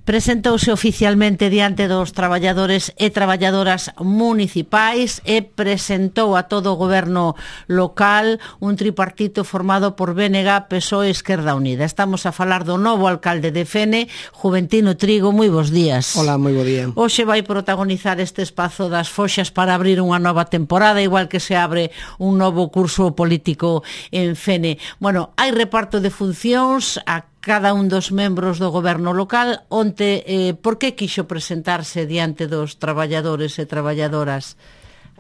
Presentouse oficialmente diante dos traballadores e traballadoras municipais e presentou a todo o goberno local un tripartito formado por BNG, PSOE e Esquerda Unida. Estamos a falar do novo alcalde de Fene, Juventino Trigo. Moi bons días. Hola, moi bo día. Hoxe vai protagonizar este espazo das foxas para abrir unha nova temporada, igual que se abre un novo curso político en Fene. Bueno, hai reparto de funcións a cada un dos membros do goberno local. Onte, por que quixo presentarse diante dos traballadores e traballadoras?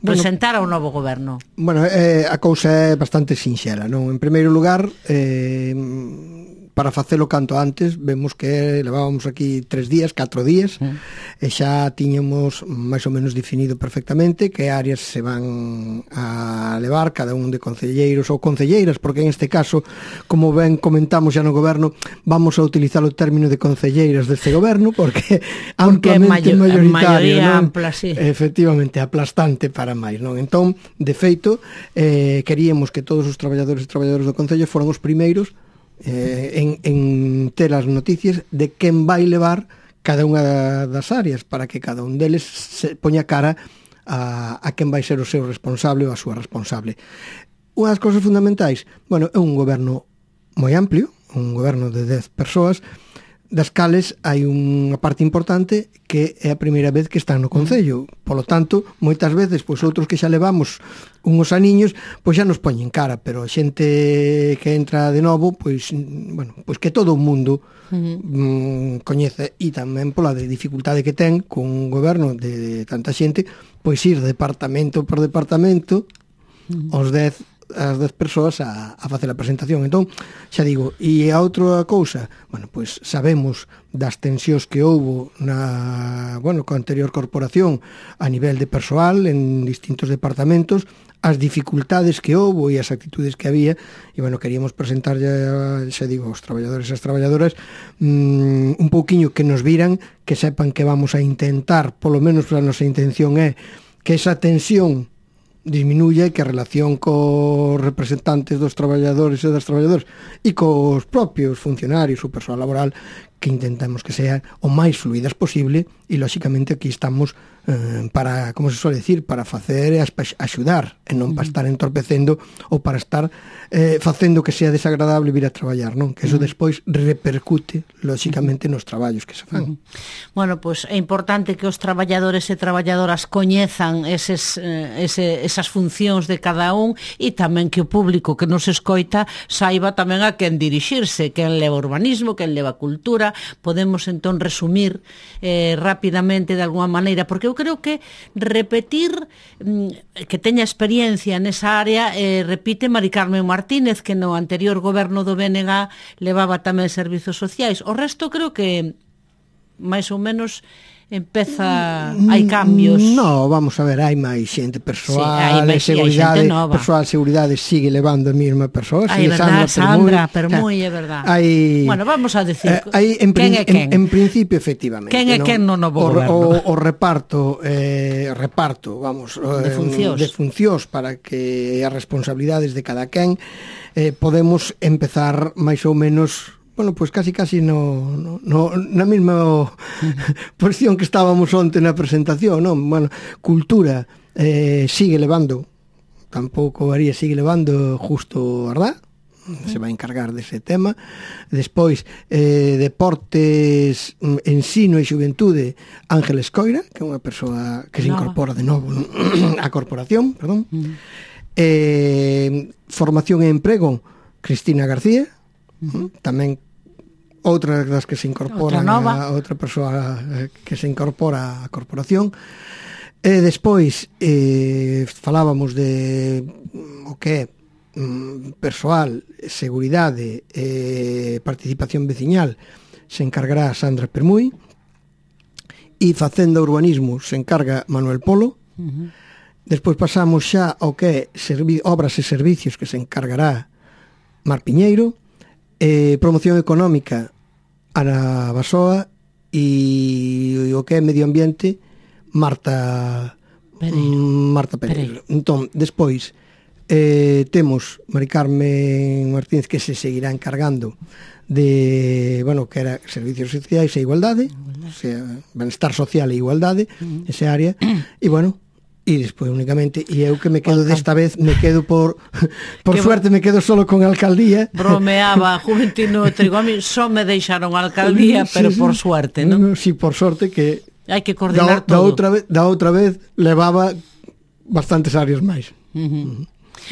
Presentar ao novo goberno. Bueno, a cousa é bastante sinxela, non? En primeiro lugar, para facelo canto antes, vemos que levábamos aquí 4 días, e xa tiñamos máis ou menos definido perfectamente que áreas se van a levar cada un de concelleiros ou concelleiras, porque en este caso, como ben comentamos xa no goberno, vamos a utilizar o término de concelleiras deste goberno, porque amplamente maioritario, non? Ampla, sí. Efectivamente, aplastante para máis, non? Entón, de feito, queríamos que todos os traballadores e traballadoras do concello foran os primeiros en ter as noticias de quen vai levar cada unha das áreas, para que cada un deles se poña cara a quen vai ser o seu responsable ou a súa responsable. Unha das cousas fundamentais, bueno, é un goberno moi amplio, un goberno de 10 persoas, das cales hai unha parte importante que é a primeira vez que están no concello. Polo tanto, moitas veces, pois outros que xa levamos unhos aniños, pois xa nos poñen cara, pero a xente que entra de novo, pois, bueno, pois que todo o mundo coñece, e tamén pola de dificultade que ten con un goberno de tanta xente, pois ir departamento por departamento as 10 persoas a facer a presentación. Entón, xa digo, e a outra cousa, bueno, pois sabemos das tensións que houbo coa anterior corporación a nivel de persoal en distintos departamentos, as dificultades que houbo e as actitudes que había, e bueno, queríamos presentar xa digo, aos traballadores e as traballadoras un pouquiño que nos viran, que sepan que vamos a intentar, polo menos a nosa intención é que esa tensión disminuya e que a relación cos representantes dos traballadores e das traballadoras e cos propios funcionarios ou persoal laboral, que intentamos que sean o máis fluidas posible, e lóxicamente aquí estamos para, como se suele decir, para facer e axudar, e non para estar entorpecendo ou para estar facendo que sea desagradable vir a traballar, non? Que eso despois repercute lóxicamente nos traballos que se fan. Bueno, pois é importante que os traballadores e traballadoras coñezan esas funcións de cada un, e tamén que o público que nos escoita saiba tamén a quen dirixirse, quen leva urbanismo, quen leva cultura. Podemos entón resumir rapidamente de alguma maneira, porque eu creo que repetir que teña experiencia nesa área, repite Mari Carmen Martínez, que no anterior goberno do BNG levaba tamén servizos sociais. O resto creo que máis ou menos hai cambios. No, vamos a ver, hai máis xente, persoal, sí, seguridade, persoal, seguridade sigue levando a mesma persoa. Hai verdad, Sandra Permuy, é verdad. Bueno, vamos a decir, quen é quen? En principio, efectivamente. Quen é quen no novo goberno? O reparto, vamos, de funcións para que as responsabilidades de cada quen podemos empezar máis ou menos, bueno, pois casi na mesma posición que estábamos onte na presentación, non? Bueno, cultura sigue levando, tampouco varía, sigue levando Justo Ardá, se vai encargar dese tema. Despois, deportes, ensino e xuventude, Ángeles Coira, que é unha persoa que se incorpora de novo á corporación, perdón. Formación e emprego, Cristina García, tamén outra das que se incorporan, outra persoa que se incorpora á corporación. Despois falábamos de o que é persoal, seguridade e participación veciñal, se encargará Sandra Permuy, e facenda urbanismo se encarga Manuel Polo. Despois pasamos xa ao que é obras e servicios, que se encargará Mar Piñeiro. Promoción económica, Ana Basoa, e o que é medio ambiente, Marta Pereiro. Entón, despois temos Mari Carmen Martínez, que se seguirá encargando de, bueno, que era servicios sociais e igualdade. benestar social e igualdade, esa área, e bueno, e despois únicamente, e eu que me quedo desta vez, me quedo por suerte me quedo solo con a alcaldía. Bromeaba Juventino Trigo, a mí só me deixaron a alcaldía, pero por suerte, non? Si, por sorte que hai que coordinar todo. Da outra vez levaba bastantes áreas máis.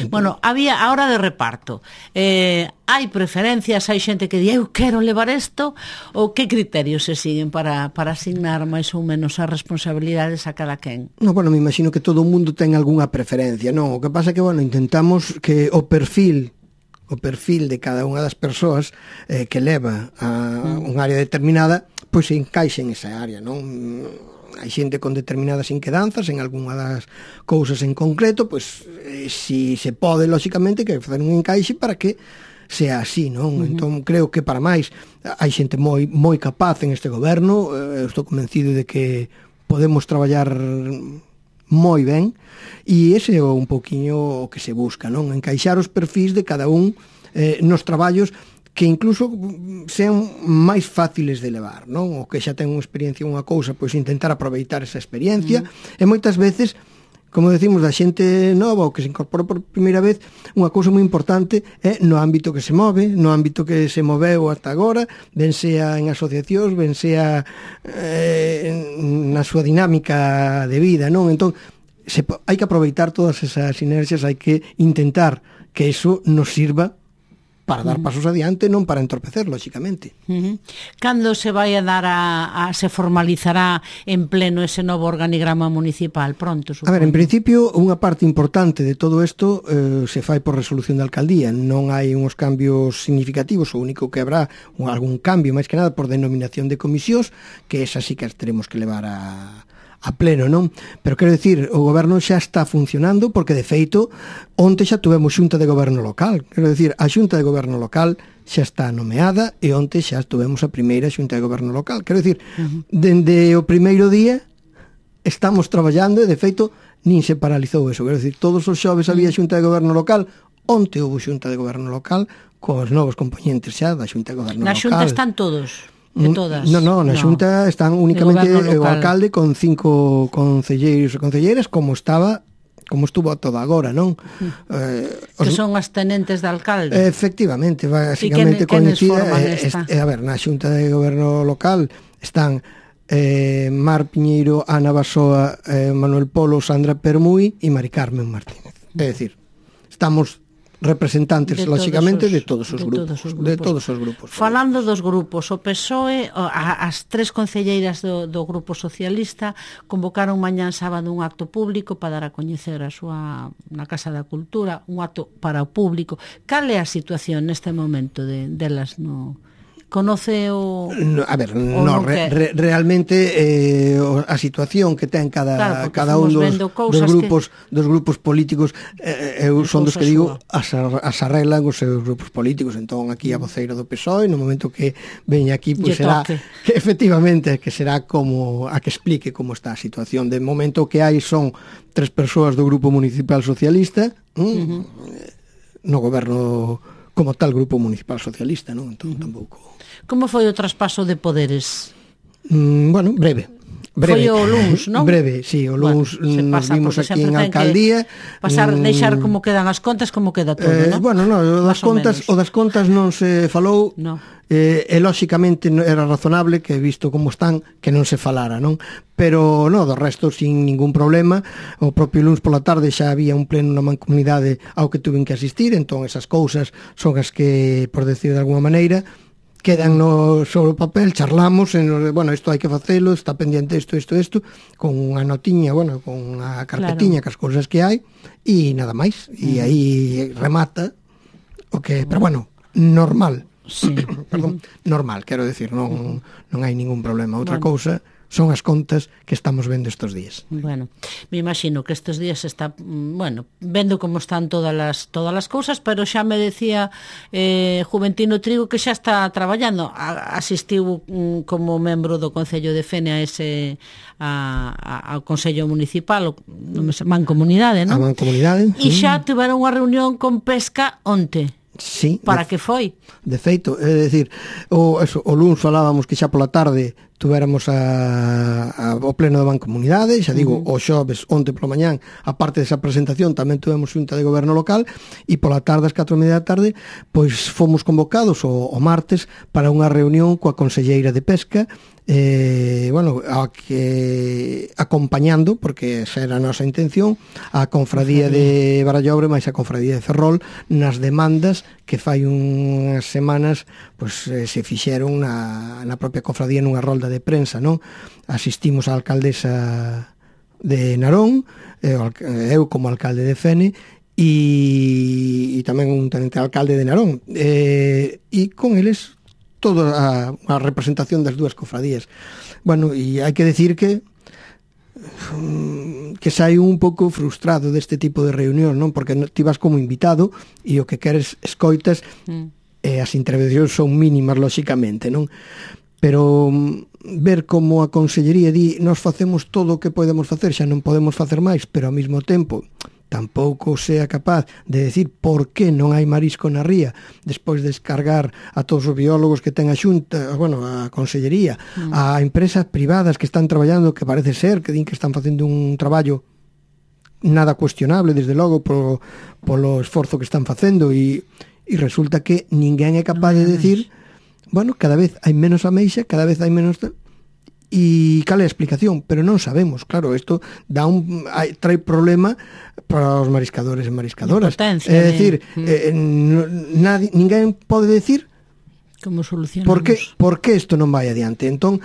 Bueno, había a hora de reparto. Hai preferencias, hai xente que di eu quero levar isto, ou que criterios se siguen para asignar máis ou menos as responsabilidades a cada quen? No, bueno, me imagino que todo o mundo ten algunha preferencia, non? O que pasa é que, bueno, intentamos que o perfil de cada unha das persoas que leva a un área determinada, pois se encaixe en esa área, non? Hai xente con determinadas inquedanzas en algunha das cousas en concreto, pois si se pode, lóxicamente, que facer un encaixe para que sea así, non? Entón, creo que para máis hai xente moi capaz en este goberno, estou convencido de que podemos traballar moi ben, e ese é un poquinho o que se busca, non? Encaixar os perfis de cada un nos traballos que incluso sean máis fáciles de levar, non? O que xa ten unha experiencia en unha cousa, pois intentar aproveitar esa experiencia, e moitas veces, como decimos, da xente nova ou que se incorpora por primeira vez, unha cousa moi importante é no ámbito que se move, no ámbito que se moveu ata agora, ben sea en asociacións, ben sea na súa dinámica de vida, non? Entón, hai que aproveitar todas esas sinerxias, hai que intentar que eso nos sirva para dar pasos adiante, non para entorpecer, lóxicamente. Cando se vai a dar se formalizará en pleno ese novo organigrama municipal? Pronto, supoño. A ver, en principio, unha parte importante de todo isto se fai por resolución da alcaldía. Non hai uns cambios significativos, o único que habrá algún cambio, máis que nada, por denominación de comisións, que esa sí que as teremos que levar a pleno, non? Pero quero dicir, o goberno xa está funcionando, porque de feito onte xa tuvemos xunta de goberno local. Quero dicir, a xunta de goberno local xa está nomeada e onte xa tuvemos a primeira xunta de goberno local. Quero dicir, dende o primeiro día estamos traballando e de feito nin se paralizou eso. Quero dicir, todos os xoves había xunta de goberno local, onte houve xunta de goberno local cos novos componentes xa da xunta de goberno local. Na xunta están todos? De todas? No, na xunta están únicamente o alcalde con 5 concelleiros e concelleiras, como estuvo todo agora, non? Que son as tenentes de alcalde. Efectivamente, basicamente coincida. A ver, na xunta de goberno local están Mar Piñeiro, Ana Basoa, Manuel Polo, Sandra Permui e Mari Carmen Martínez. É dicir, estamos representantes, lóxicamente, de todos os grupos. Falando dos grupos, o PSOE, as 3 concelleiras do Grupo Socialista convocaron mañán sábado un acto público para dar a coñecer na Casa da Cultura, un acto para o público. Cal é a situación neste momento delas no... Conoce o... A ver, realmente a situación que ten cada un dos grupos políticos son dos que digo as arreglan os seus grupos políticos. Entón aquí a voceira do PSOE no momento que veña aquí pois será que efectivamente que será como a que explique como está a situación. De momento que hai son 3 persoas do Grupo Municipal Socialista no goberno como tal Grupo Municipal Socialista, non? Entón tampouco. Como foi o traspaso de poderes? Bueno, breve. Foi o luns, non? Breve, sí, o luns nos vimos aquí en alcaldía. Deixar como quedan as contas, como queda todo, non? Bueno, o das contas non se falou. E lóxicamente era razonable que, visto como están, que non se falara, non? Pero do resto sin ningún problema. O propio luns pola tarde xa había un pleno na mancomunidade ao que tuven que asistir, entón esas cousas son as que, por decir de alguma maneira, quedan sobre o papel, charlamos, bueno, isto hai que facelo, está pendiente isto, con unha notiña, bueno, con unha carpetiña, cas cousas que hai, e nada máis, e aí remata o que, pero bueno, normal. Sí. Perdón, normal, quero decir, non hai ningún problema. Outra cousa son as contas que estamos vendo estes días. Bueno, me imagino que estes días está, vendo como están todas as cousas, pero xa me decía Juventino Trigo que xa está traballando. Asistiu como membro do Concello de Fene ao Consello Municipal, Mancomunidade, non? A Mancomunidade. E xa tiveron unha reunión con Pesca onte. Sí. Para que foi? De feito, é dicir, o luns falábamos que xa pola tarde tuvéramos o pleno da Mancomunidade, xa digo, o xoves, onte pola mañán, a parte desa presentación, tamén tuvemos xunta de goberno local, e pola tarde, ás 4:30 da tarde, pois fomos convocados o martes para unha reunión coa conselleira de Pesca, acompañando, porque esa era a nosa intención, a Confradía de Barallobre máis a Confradía de Ferrol nas demandas que fai unhas semanas pois, se fixeron na propia Confradía nunha rolda de prensa, non? Asistimos á alcaldesa de Narón, eu como alcalde de Fene, e tamén un tenente alcalde de Narón, e con eles toda a representación das dúas cofradías. Bueno, e hai que decir que sai un pouco frustrado deste tipo de reunión, non? Porque ti vas como invitado e o que queres escoitas e as intervencións son mínimas, lóxicamente, non? Pero ver como a Consellería di nos facemos todo o que podemos facer, xa non podemos facer máis, pero ao mesmo tempo tampouco sea capaz de decir por que non hai marisco na ría despois de descargar a todos os biólogos que ten a Xunta, bueno, a Consellería, a empresas privadas que están traballando, que parece ser que din que están facendo un traballo nada cuestionable, desde logo, polo esforzo que están facendo, e resulta que ninguén é capaz de decir, bueno, cada vez hai menos ameixa, cada vez hai menos... E cal é a explicación? Pero non sabemos, claro, isto trae problema para os mariscadores e mariscadoras. É dicir, ninguén pode decir como solucionamos. Por que isto non vai adiante? Entón,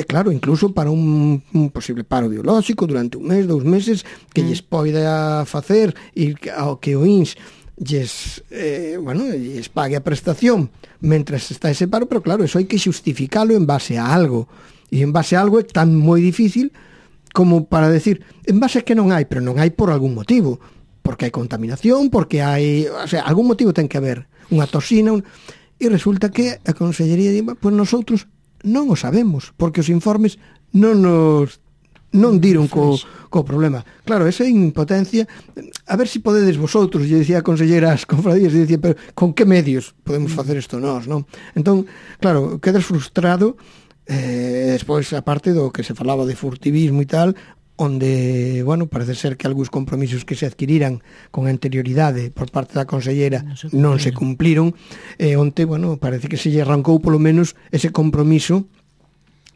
claro, incluso para un posible paro biolóxico durante un mes, 2 meses, que lles poida facer e ao que o INS lles pague a prestación mentras está ese paro, pero claro, eso hai que xustificalo en base a algo. E en base a algo é tan moi difícil como para decir, en base a que non hai, pero non hai por algún motivo, porque hai contaminación, porque hai, o sea, algún motivo ten que haber, unha toxina, e resulta que a Consellería di, pois nosotros non o sabemos, porque os informes non diron co problema. Claro, esa impotencia, a ver se podedes vosotros, lle dicía a consellera ás confradías, lle dicía, pero con que medios podemos facer isto nós, non? Entón, claro, quedas frustrado. Despois, a parte do que se falaba de furtivismo e tal, onde, bueno, parece ser que algúns compromisos que se adquiriran con anterioridade por parte da consellera non se cumpliron, onte, bueno, parece que se lle arrancou polo menos ese compromiso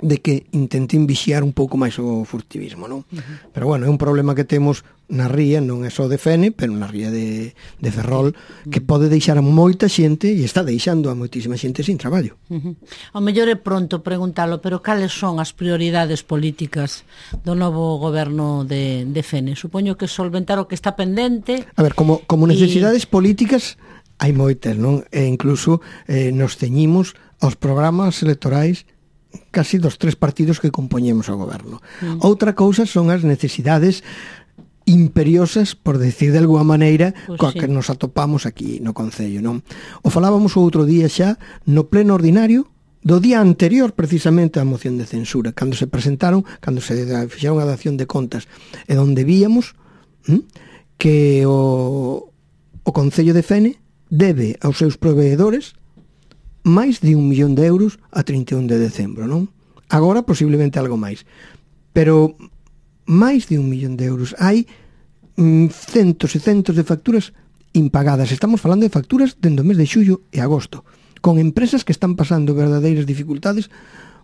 de que intenten vixiar un pouco máis o furtivismo, non? Pero, bueno, é un problema que temos na ría, non é só de Fene, pero na ría de Ferrol, que pode deixar a moita xente, e está deixando a moitísima xente sin traballo. Ao mellor é pronto preguntalo, pero cales son as prioridades políticas do novo goberno de Fene? Supoño que solventar o que está pendente. A ver, como necesidades políticas hai moitas, non? E incluso nos ceñimos aos programas electorais casi dos 3 partidos que compoñemos o goberno. Outra cousa son as necesidades imperiosas, por decir de alguma maneira, coa que nos atopamos aquí no Concello, non? O falábamos o outro día xa no pleno ordinario do día anterior precisamente á moción de censura, cando se presentaron, cando se fixeron a dación de contas, e onde víamos que o Concello de Fene debe aos seus proveedores máis de 1 millón de euros a 31 de decembro, non? Agora posiblemente algo máis, pero máis de 1 millón de euros. Hai centos e centos de facturas impagadas. Estamos falando de facturas dende o mes de xullo e agosto, con empresas que están pasando verdadeiras dificultades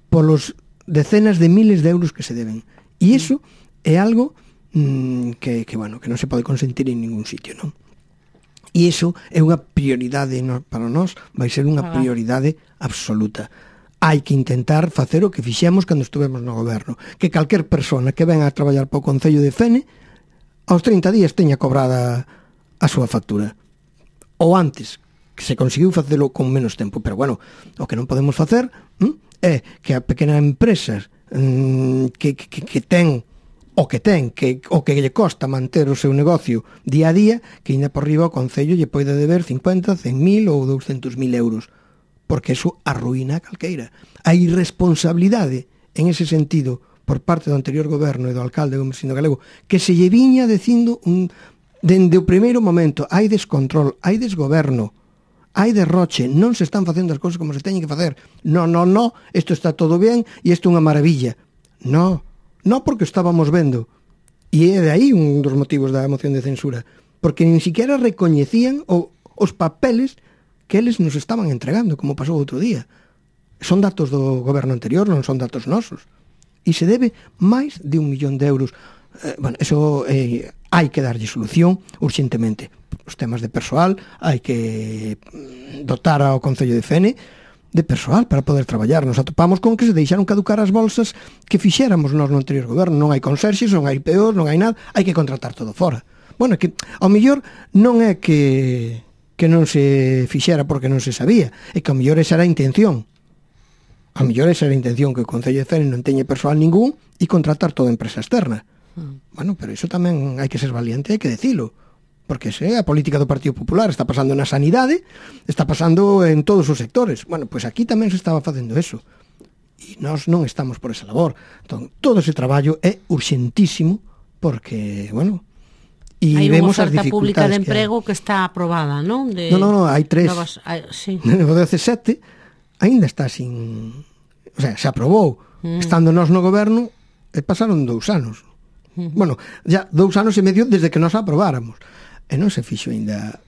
polos decenas de miles de euros que se deben. E iso é algo que non se pode consentir en ningún sitio, non? E iso é unha prioridade para nós, vai ser unha prioridade absoluta. Hai que intentar facer o que fixemos cando estuvemos no goberno, que calquer persona que venga a traballar para o Concello de Fene aos 30 días teña cobrada a súa factura, ou antes, que se conseguiu facelo con menos tempo. Pero bueno, o que non podemos facer é que a pequena empresa que ten o que lle costa manter o seu negocio día a día, que ainda por riba o Concello lle poida deber 50, 100.000 ou 200.000 euros, porque eso arruína a calqueira. A irresponsabilidade en ese sentido por parte do anterior goberno e do alcalde Gomersindo Galego, que se lle viña dicindo dende o primeiro momento, hai descontrol, hai desgoberno, hai derroche, non se están facendo as cousas como se teñen que facer. No, isto está todo ben e isto é unha maravilla. No, porque estábamos vendo. E é de aí un dos motivos da moción de censura, porque nin siquiera recoñecían os papeles que eles nos estaban entregando, como pasou outro día. Son datos do goberno anterior, non son datos nosos. E se debe máis de 1 millón de euros. Eso hai que darlle solución urxentemente. Os temas de persoal, hai que dotar ao Concello de Fene de persoal para poder traballar. Nos atopamos con que se deixaron caducar as bolsas que fixéramos nós no anterior goberno. Non hai conserxes, non hai peor, non hai nada, hai que contratar todo fora. Bueno, que ao mellor non é que non se fixera porque non se sabía, é que ao mellor esa era a intención. Ao mellor esa era a intención, que o Concello de Fene non teña persoal ningún e contratar toda a empresa externa. Bueno, pero iso tamén hai que ser valiente, hai que decilo. Porque esa é a política do Partido Popular, está pasando na sanidade, está pasando en todos os sectores. Bueno, pois aquí tamén se estaba facendo eso. E nós non estamos por esa labor. Entón, todo ese traballo é urxentísimo, porque, bueno, e vemos as dificultades. Hai unha oferta pública de emprego que está aprobada, non? Non, hai 3. Sí. O 17 ainda está sin... O sea, se aprobou. Estando nós no goberno, pasaron 2 anos. Bueno, ya 2 anos e medio desde que nos aprobáramos. E non se fixo ainda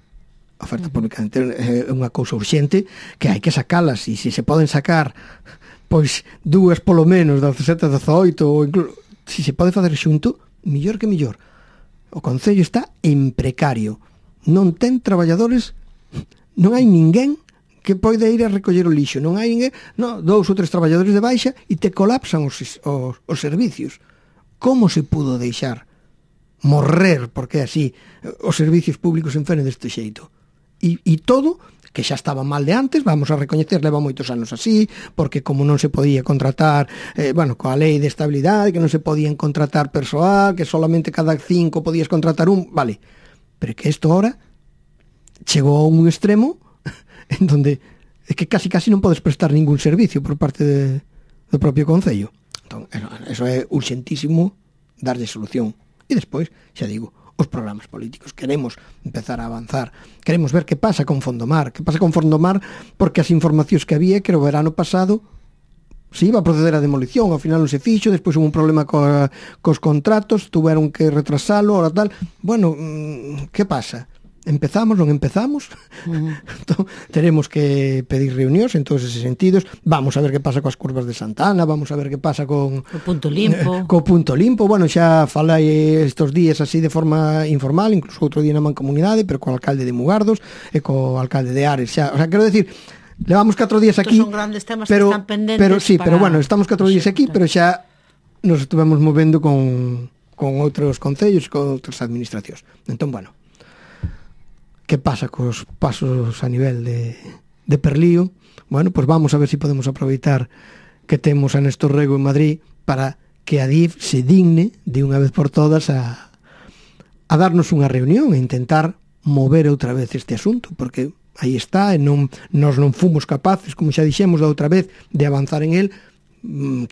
a oferta pública. É unha cousa urxente que hai que sacalas, e se poden sacar pois 2 polo menos, 17, 18, ou incluso se se pode facer xunto, mellor que mellor. O Concello está en precario, non ten traballadores, non hai ninguén que poida ir a recoller o lixo, non hai ninguén, 2 ou 3 traballadores de baixa e te colapsan os servicios. Como se pudo deixar morrer, porque é así, os servicios públicos en Fene deste xeito? E todo, que xa estaba mal de antes, vamos a recoñecer, leva moitos anos así, porque como non se podía contratar, coa lei de estabilidade, que non se podían contratar persoal, que solamente cada 5 podías contratar un, vale, pero que isto ahora chegou a un extremo en donde é que casi non podes prestar ningún servicio por parte do propio Concello. Entón, eso é urxentísimo darlle solución. E despois, xa digo, os programas políticos. Queremos empezar a avanzar. Queremos ver que pasa con Fondomar. Que pasa con Fondomar, porque as informacións que había, que o verano pasado se iba a proceder a demolición, ao final non se fixo, despois hubo un problema cos contratos, tuveron que retrasalo, ora tal. Bueno, que pasa? Empezamos, non empezamos? Entón, teremos que pedir reunións en todos esos sentidos. Vamos a ver que pasa coas curvas de Santana, vamos a ver que pasa con o punto limpo. Co punto limpo. Bueno, xa falei estos días así de forma informal, incluso outro día na Mancomunidade, pero co alcalde de Mugardos e co alcalde de Ares. Xa, o sea, quero decir, levamos 4 días aquí. Estos son grandes temas que están pendentes. Pero bueno, estamos 4 días aquí, pero xa nos estuvemos movendo con outros concellos e con outras administracións. Entón, bueno, que pasa cos pasos a nivel de Perlío? Bueno, pues vamos a ver si podemos aproveitar que temos a Néstor Rego en Madrid para que a DIF se digne de unha vez por todas a darnos unha reunión e intentar mover outra vez este asunto, porque aí está, e nós non fomos capaces, como xa dixemos da outra vez, de avanzar en el.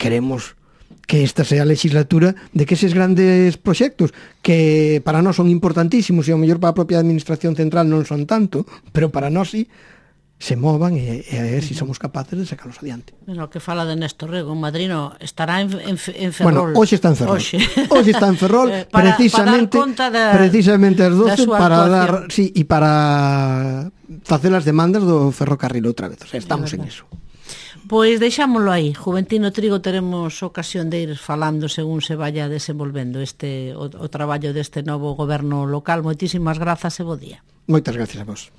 Queremos que esta sea a legislatura de que eses grandes proxectos que para nós son importantísimos e ao mellor para a propia administración central non son tanto, pero para nós sí, se movan e a ver se somos capaces de sacarlos adiante. Bueno, que fala de Néstor Rego en Madrid, estará en Ferrol. Bueno, hoxe está en Ferrol. Hoxe está en Ferrol, precisamente as 12 para dar, sí, e para facer as demandas do ferrocarril outra vez. O sea, estamos en eso. Pois deixámoslo aí. Juventino Trigo teremos ocasión de ir falando según se vaya desenvolvendo o traballo deste novo goberno local. Moitísimas grazas e bo día. Moitas gracias a vos.